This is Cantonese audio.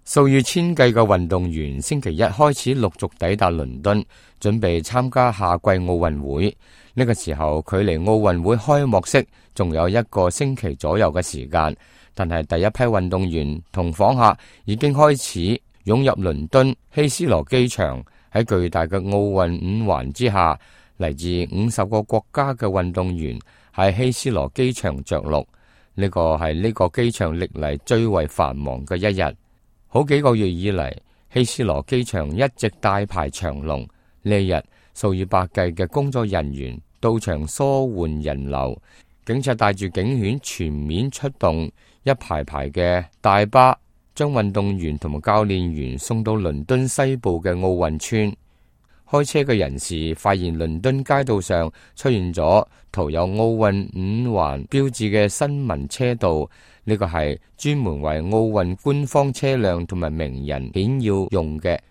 數以千計嘅運動員星期一開始陸續抵達倫敦，準備參加夏季奧運會。呢個時候，距離奧運會開幕式仲有1個星期左右嘅時間，但係第一批運動員同訪客已經開始湧入倫敦希斯羅機場。喺巨大嘅奧運5環之下，嚟自50個國家嘅運動員喺希斯羅機場着陸。呢個係呢個機場歷嚟最為繁忙嘅一日。好幾個月以嚟，希斯羅機場一直大排長龍。呢日數以百計嘅工作人員到場疏緩人流，警察帶住警犬全面出動，一排排嘅大巴將運動員同埋教練員送到倫敦西部嘅奧運村。開車嘅人士發現倫敦街道上出現咗塗有奧運5環標誌嘅新聞車道，呢個係專門為奧運官方車輛同埋名人顯要用嘅